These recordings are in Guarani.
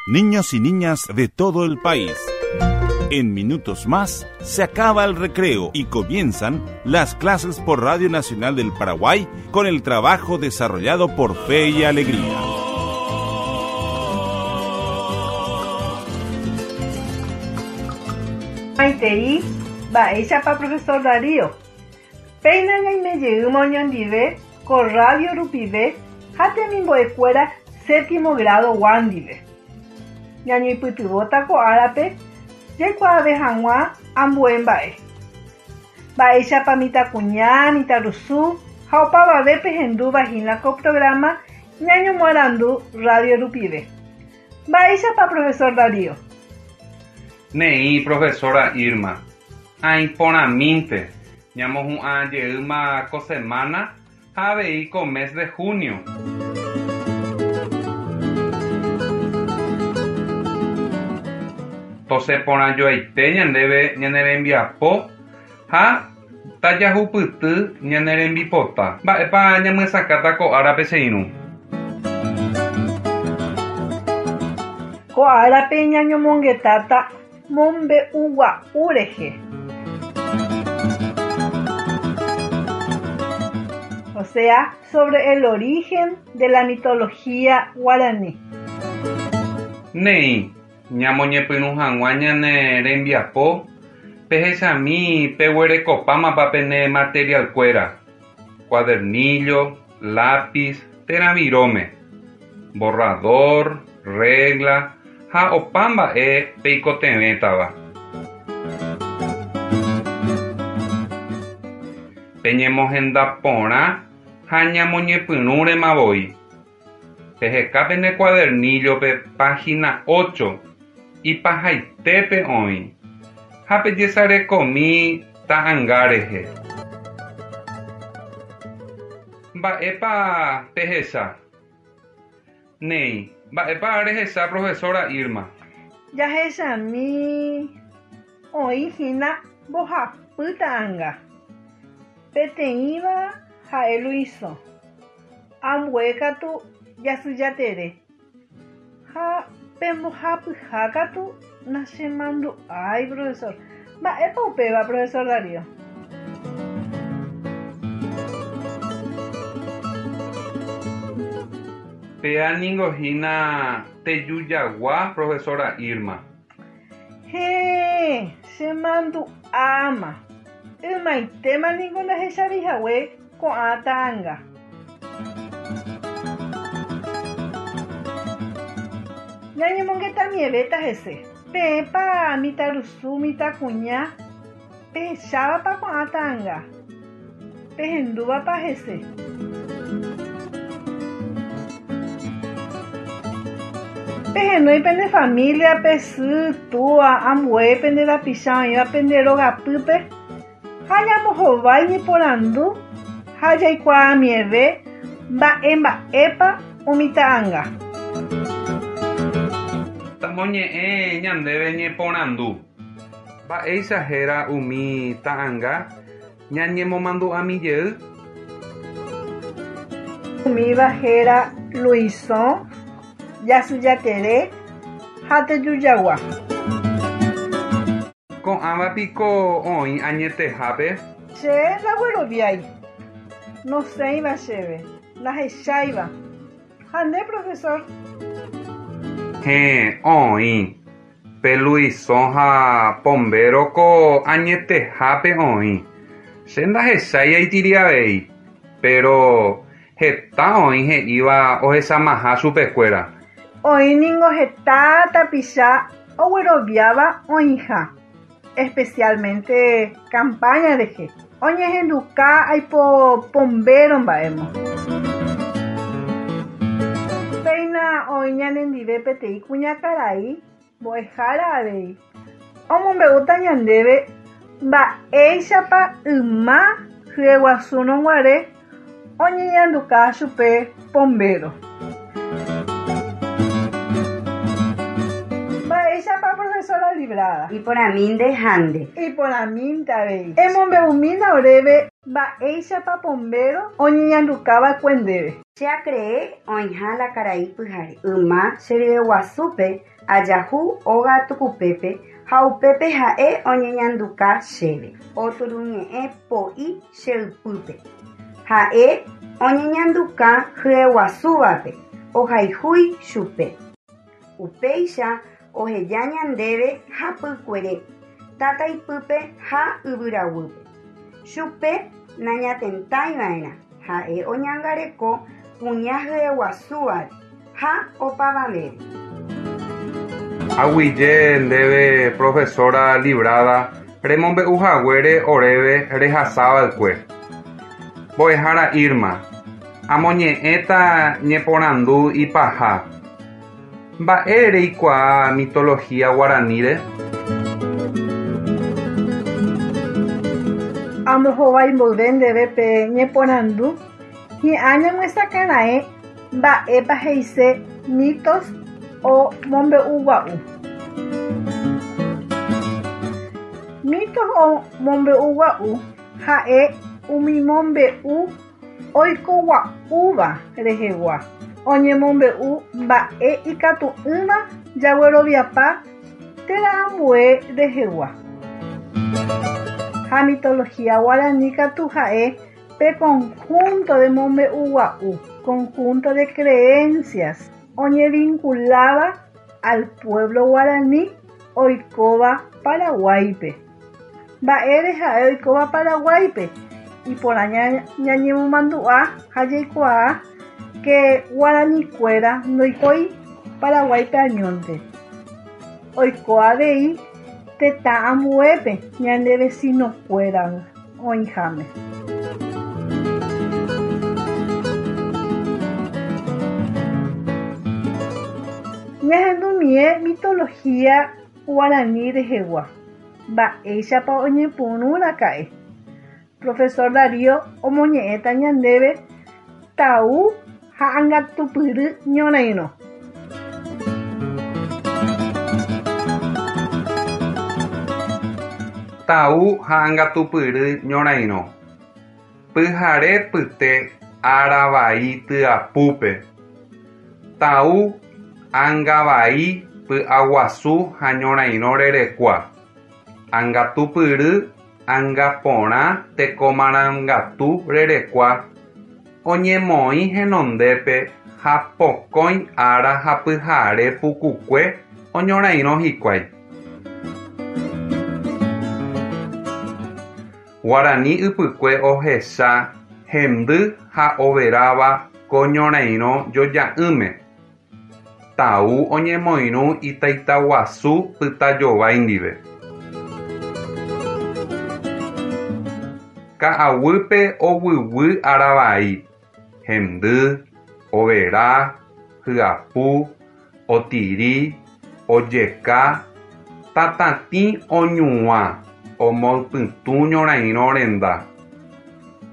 Niños y niñas de todo el país. En minutos más se acaba el recreo y comienzan las clases por Radio Nacional del Paraguay con el trabajo desarrollado por Fe y Alegría. Maitei, mba'éichapa profesor Darío. Péina ñaime jeýma oñondive ko radio rupive ha temimbo'ekuéra séptimo grado-gua ndive. Ñañoipytyvõta ko árape jaikuaave hag̃ua ambue mba'e. Mba'éichapa mitãkuña, mitãrusu ha opavave pehendúva hína ko programa ñañomoarandu radio rupive. Mba'éichapa profesor Darío? Neĩ, profesora Irma. Aĩ porãmínte. Ñamohu'ã jeýma ko semana ha avei ko mes de junio. Tosẽ porãjoaite ñandéve ñane rembiapo ha tajahupyty ñane rembipota. Mba'épa ñamyesakãta ko árape che irũ? Ko árape ñañomongetáta mombe'ugua'u rehe. O sea, sobre el origen de la mitología guaraní. Néi, ñamoñepyrũ hag̃ua ñane rembiapo, pehechami peguerekopámapa pene material-kuéra, cuadernillo, lápiz térã viróme, borrador, regla ha opa mba'e peikotevẽtava. Peñemohenda porã ha ñamoñepyrũrema voi. Peheka pene cuadernillo-pe página ocho, ipahaitépe oĩ, ha pejesarekomi ta'anga rehe. Mba'épa pehecha? Néi, mba'épa rehecha profesora Irma? Jahechami oĩ hína mbohapy ta'anga. Peteĩva ha'e Luisõ, ambue katu Jasyjatere ha pe mbohapyha katu nachemandu'ái profesor. Mba'épa upéva profesor Darío? Péa ningo hína tejujagua profesora Irma. Héẽ, chemandu'áma. Ymaitéma ningo ndahechavéi hague ko'ã ta'anga. Ñañemongetamievéta hese. Peẽpa mitãrusu, mitãkuña, pehechávapa ko'ã ta'anga? Pehendúvapa hese? Pehenói pene familia-pe, sy, túa, ambue pende rapicha oĩva pende rogapýpe ha ñambohovái ñeporandu ha jaikuaamieve mba'e mba'épa umi ta'anga. Tamoñe'ẽ ñandéve ñeporandu. Mba'éicha héra umi ta'anga ñañemomandu'ami jey? Umíva héra Luisõ, Jasyjatere ha Tejujagua. Ko'ãva piko oĩ añetehápe? Che ndagueroviái. Nosẽiva chéve, ndahecháiva. Ha nde, profesor? Héẽ, oĩ. Pe Luisõ ha Pombéro ko añetehápe oĩ. Che ndahechái aitiri avei, péro heta oĩ he'íva ohechamaha chupekuéra. Oĩ ningo heta tapicha ogueroviáva oĩha, especialmente campaña rehe, oñehenduka aipo Pombéro mba'émo. Péina oĩ ñanendive peteĩ kuñakarai mbo'ehára avei, omombe'úta ñandéve mba'éichapa yma hyeguasúrõ guare oñeñanduka chupe Pombéro. Mba'éichapa profesora Librada? Iporãmínte ha nde. Iporãmínte avei. Emombe'umína oréve. Mba'éichapa Pombéro oñeñandukava'ekue ndéve. Che acree oĩha la karai pyhare. Yma che ryeguasúpe ajahu óga tukupépe ha upépe ha'e oñeñanduka chéve. Oturuñe'ẽ po'i che ypýpe. Ha'e oñeñanduka hyeguasúvape, ohayhúi chupe. Upéicha oheja ñandéve hapykuere, tataipýpe ha yvyraguýpe. Chupe nañatentaiva'erã, ha'e oñangareko kuña hyeguasúvare ha opavavére. Aguyje ndéve profesora Librada remombe'u haguére oréve rehasava'ekue. Mbo'ehára Irma, amoñe'ẽta ñeporandu ipaha. Mba'e reikuaa mitología guaraníre? Ambohovái mboyve ndéve pe ñeporandu, hi'ã ñamyesakãraẽ mba'épa he'ise mitos o mombe'ugua'u. Mitos o mombe'ugua'u ha'e umi mombe'u oikogua'úva rehegua, oñemombe'u mba'e ikatu'ỹva jagueroviapa térã ambue rehegua. Ha mitología guarani katu ha'e pe conjunto de mombe'ugua'u, conjunto de creencias, oñevinculáva al pueblo guarani oikóva Paraguáipe. Mba'ére ha'e oikóva Paraguáipe? Iporã ñañemomandu'a ha jaikuaa ke guaranikuéra ndoikói Paraguáipe añónte. Oiko avei tetã ambuépe ñane vecinokuéra oĩháme. Ñahendumie mitología guarani rehegua. Mba'éichapa oñepyrũraka'e. Profesor Darío omoñe'ẽta ñandéve Tau ha Angatupyry ñorairõ. Tau ha Angatupyry ñorairõ. Pyhare pyte ára vai tyapúpe. Tau ánga vai py'aguasu ha ñorairõ rerekua. Angatupyry ánga porã tekomarangatu rerekua oñemoĩ henondépe ha pokõi ára ha pyhare pukukue oñorairõ hikuái. Guarani ypykue ohecha hendy ha overáva ko ñorairõ joja'ỹme. Tau oñemoirũ itaitaguasu Pytajovái ndive. Ka'aguýpe oguyguy aravai, hendy, overa, hyapu, otiri, ojeka, tatatĩ oñuã omoypytũ ñorairõ renda.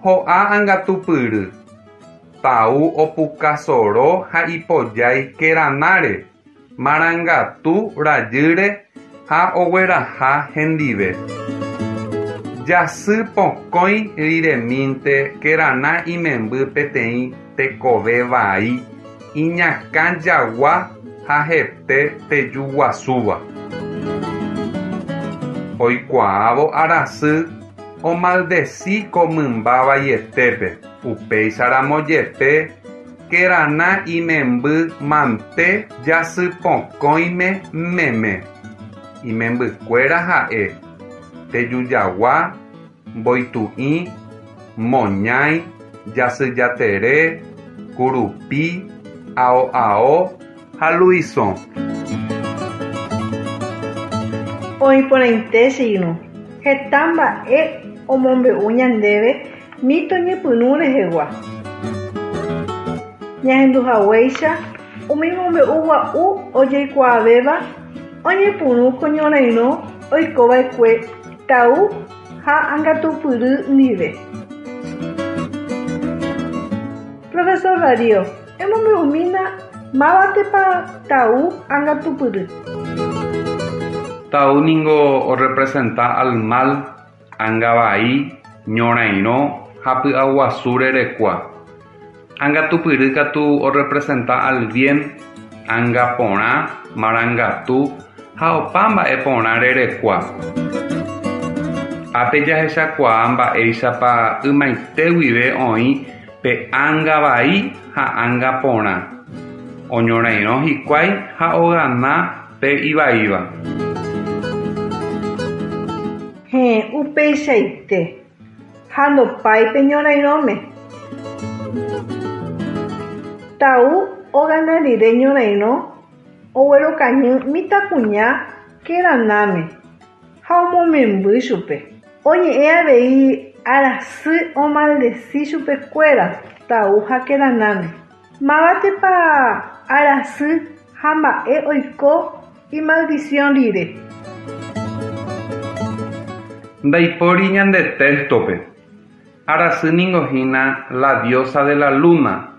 Ho'a Angatupyry, Tau opukasoro ha ipojái Keranáre, marangatu rajýre ha ogueraha hendive. Jasy pokõi riremínte Kerana imemby peteĩ tekove vai iñakã jagua ha hete teju guasúva. Oikuaávo arasy omaldeci ko mymba vaietépe, upéicharamo jepe Kerana imemby mante jasypokõime meme. Imembykuéra ha'e, Tejujagua, Mboitu'i, Moñái, Jasyjatere, Kurupi, Ao'ao ha Luisõ. Oĩ porãite che irũ, heta mba'e omombe'u ñandéve mito ñepyrũ rehegua. Ñahendu haguéicha umi mombe'u gua'u ojeikuaavéva oñepyrũ ko ñorairõ oikova'ekue Tau ha Angatupyry ndive. Profesor Darío, emombe'umína mávatepa Tau Angatupyry. Tau ningo orrepresenta al mal, anga vai, Ñorairõ ha py'aguasu rerekua. Angatupyry katu orrepresenta al bien, anga porã, marangatu ha opa mba'e porã rerekua. Ápe jahechakuaa mba'éichapa ymaite guive oĩ pe anga vai ha anga porã. Oñorairõ hikuái ha ogana pe ivaíva. Héẽ, upeichaite. Ha ndopái pe ñorairõme. Tau ogana rire ñorairõ oguerokañy mitãkuña Keranáme ha omomemby chupe. Oñe'ẽ avei Arasy omaldeci chupekuéra Tau ha Keranáme. Mávatepa Arasy ha mba'e oiko imaldición rire? Ndaipóri ñande téxtope. Arasy ningo hína la diosa de la luna.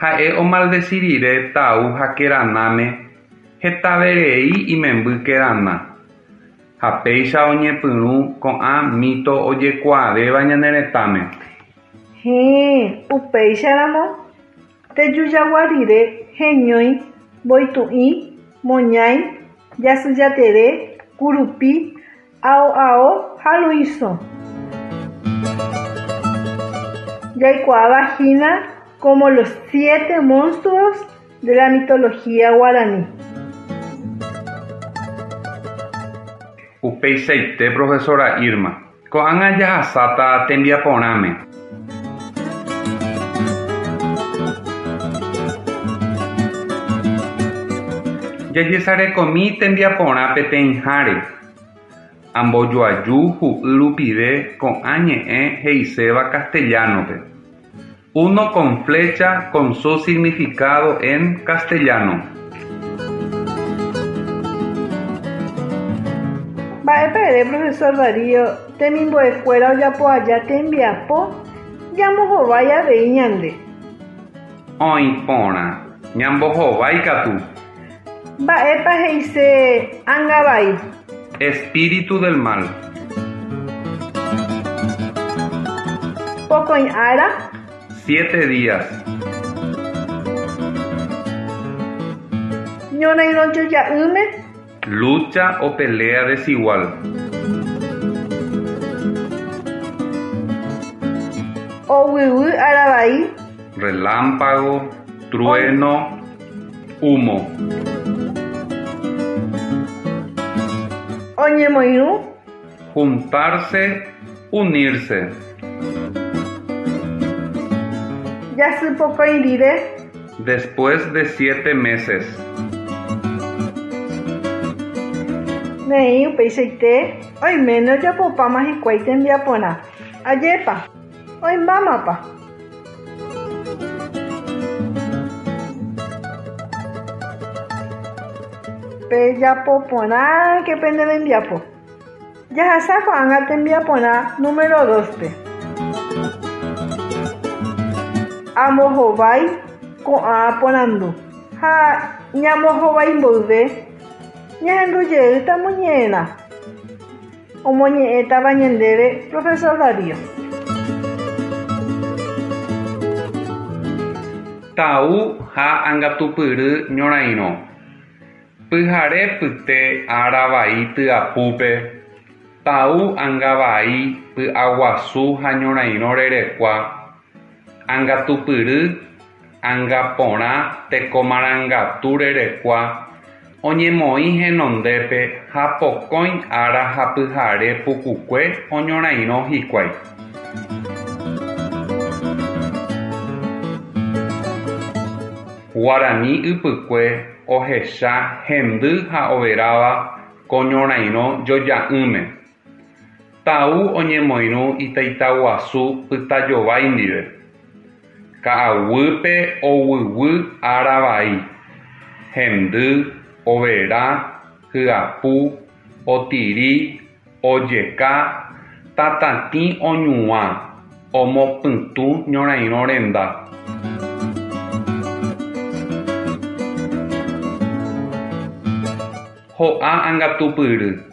Ha'e omaldeci rire Tau ha Keranáme hetaverei imemby Kerana. Ha péicha oñepyrũ ko'ã mito ojekuaavéva ñane retãme. Héẽ, upéicharamo, tejujagua rire heñói mboitu'ĩ, moñái, jasyjatere, kurupi, ao ao ha luisõ. Jaikuaáva hína como los siete monstruos de la mitología guaraní. Upeichaite profesora Irma. Ko'ág̃a jahasáta tembiaporãme. Jajesarekomi tembiaporã peteĩháre. Ambojoaju hu'y rupive ko'ã ñe'ẽ he'iséva castellano-pe. Uno con flecha con su significado en castellano. Mba'épa ere profesor Darío temimbo'ekuéra ojapo aja tembiapo ñambohovái avei ñande? Oĩ porã, ñambohovái katu. Mba'épa he'ise anga vai? Espíritu del mal. Pokõi ára. Siete días. Ñorairõ joja'ỹme. Lucha o pelea desigual. Oguyguy ára vai. Relámpago, trueno, humo. Oñemoirũ. Juntarse, unirse. Jasypokõi rire. Después de siete meses. Néi, upeichaite, oiméne ojapopáma hikuái tembiaporã. Ajépa, oĩmbámapa. Pejapo porãke pene rembiapo. Jahasa ko'ág̃a tembiaporã número dos-pe. Ambohovái ko'ã porandu ha ñambohovái mboyve ñahendu jeýta moñe'ẽrã omoñe'ẽtava ñandéve Profesor Darío. Tau ha angatupyry ñorairõ. Pyhare pyte ára vai tyapúpe, Tau anga vai py'aguasu ha ñorairõ rerekua, angatupyry, anga porã teko marangatu rerekua oñemoĩ henondépe ha pokõi ára ha pyhare pukukue oñorairõ hikuái. Guarani ypykue ohecha hendy ha overáva ko ñorairõ joja'ỹme. Tau oñemoirũ itaitaguasu Pytajovái ndive. Ka'aguýpe oguyguy ára vai. Hendy, overa, hyapu, otiri, ojeka, tatatĩ oñuã, omopytũ ñorairõ renda. Ho'a angatupyry.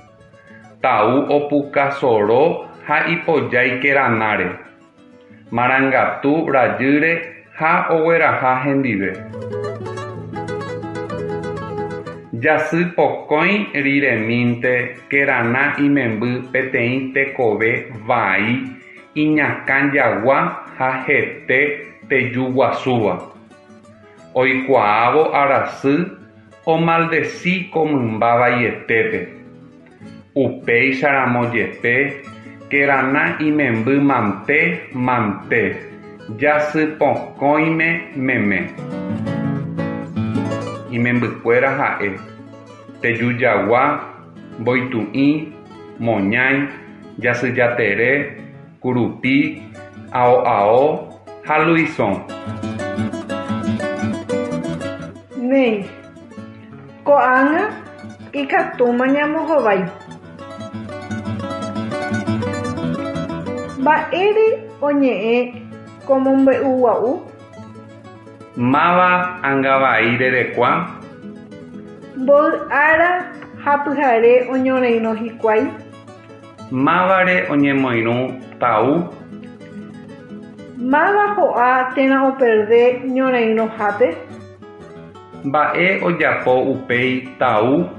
Tau opukasoro ha ipojái Keranáre, marangatu rajýre ha ogueraha hendive. Jasypokõi riremínte Kerana imemby peteĩ tekove vai iñakã jagua ha hete tejuguasúva. Oikuaávo Arasy omaldeci ko mymba vaietépe. Upéicharamo jepe, Kerana imemby mante mante, jasypokõime meme. Imembykuéra ha'e, Tejujagua, Mboitu'ĩ, Moñái, Jasyjatere, Kurupi, Ao'ao ha Luisõ. Néi, ko'ág̃a ikatúma ñambohovái. Mba'ére oñe'ẽ ko mombe'ugua'u? Máva angavai rerekua? Mboy ára ha pyhare oñorairõ hikuái? Mávare oñemoirũ Tau? Máva ho'a térã operde ñorairõhápe? Mba'e ojapo upéi Tau?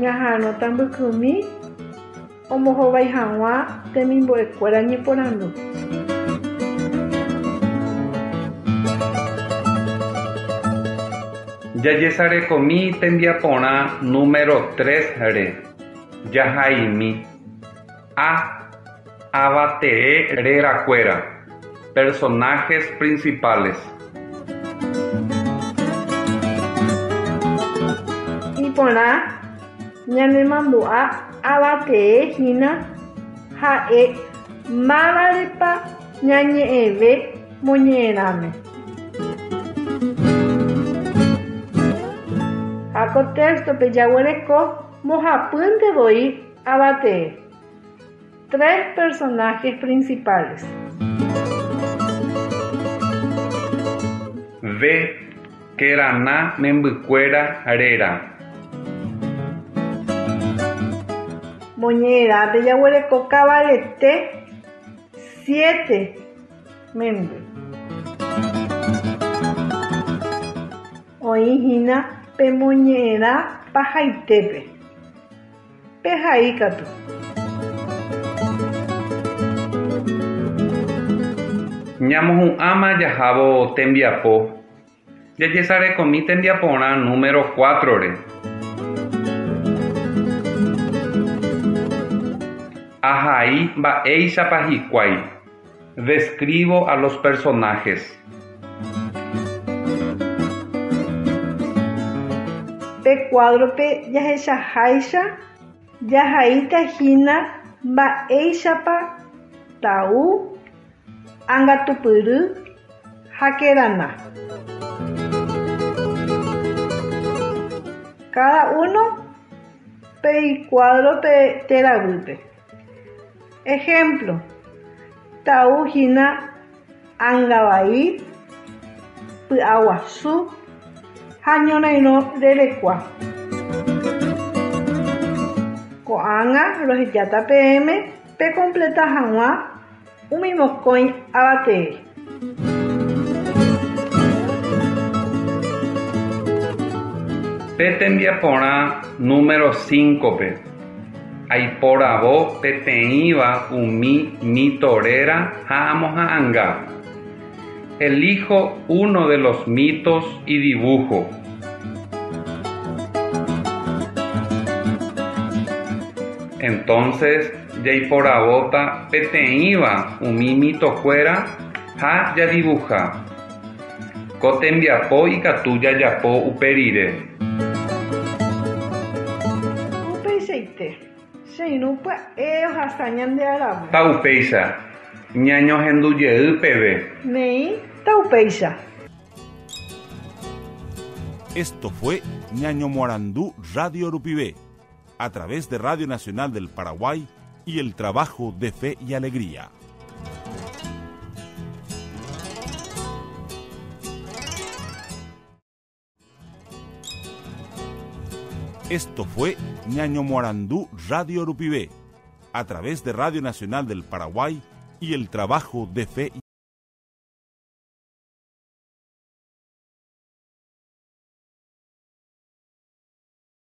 Ñaha'arõta mbykymi ombohovái hag̃ua temimbo'ekuéra ñeporandu. Jajesarekomi tembiaporã número 3-re. Jahaimi. A. Avatee rerakuéra. Personajes principales. Iporã ñanemandu'a avatee hína ha'e mávarepa ñañe'ẽve moñe'ẽrãme. Ha ko téxtope jaguereko mbohapýnte voi avatee. Tres personajes principales. B. Kerana membykuéra réra. Moñe'ẽrãpe jaguereko kavalete siete memby. Oĩ hína pe moñe'ẽrã pahaitépe. Pehai katu. Ñamohu'ãma jahávo tembiapo. Jajesarekomi tembiaporã número cuatro-re. Ahai mba'éichapa hikuái. Describo a los personajes. Pe cuadro-pe jahechaháicha jahaíta hína mba'éichapa Tau, Angatupyry ha Kerana. Cada uno pe icuadro-pe térã guýpe. Ejemplo, Tau hína angavai, py'aguasu ha ñorairõ rerekua. Ko'ág̃a rohejáta peẽme pekompleta hag̃ua umi mokõi avatee. Pe tembiaporã número cinco-pe, aiporavo peteĩva umi mito réra ha amoha'anga. Elijo uno de los mitos y dibujo. Entonces jaiporavóta peteĩva umi mitokuéra ha jadibuha. Ko tembiapo ikatu jajapo upe rire. Upeichaite, che irũ pya'e ohasa ñande aravo. Taupéicha, ñañohendujey peve. Néi, taupéicha. Esto fue Ñañomoarandu Radio Rupive, a través de Radio Nacional del Paraguay y el trabajo de Fe y Alegría. Esto fue Ñañomoarandú Radio Rupivé, a través de Radio Nacional del Paraguay y el trabajo de fe.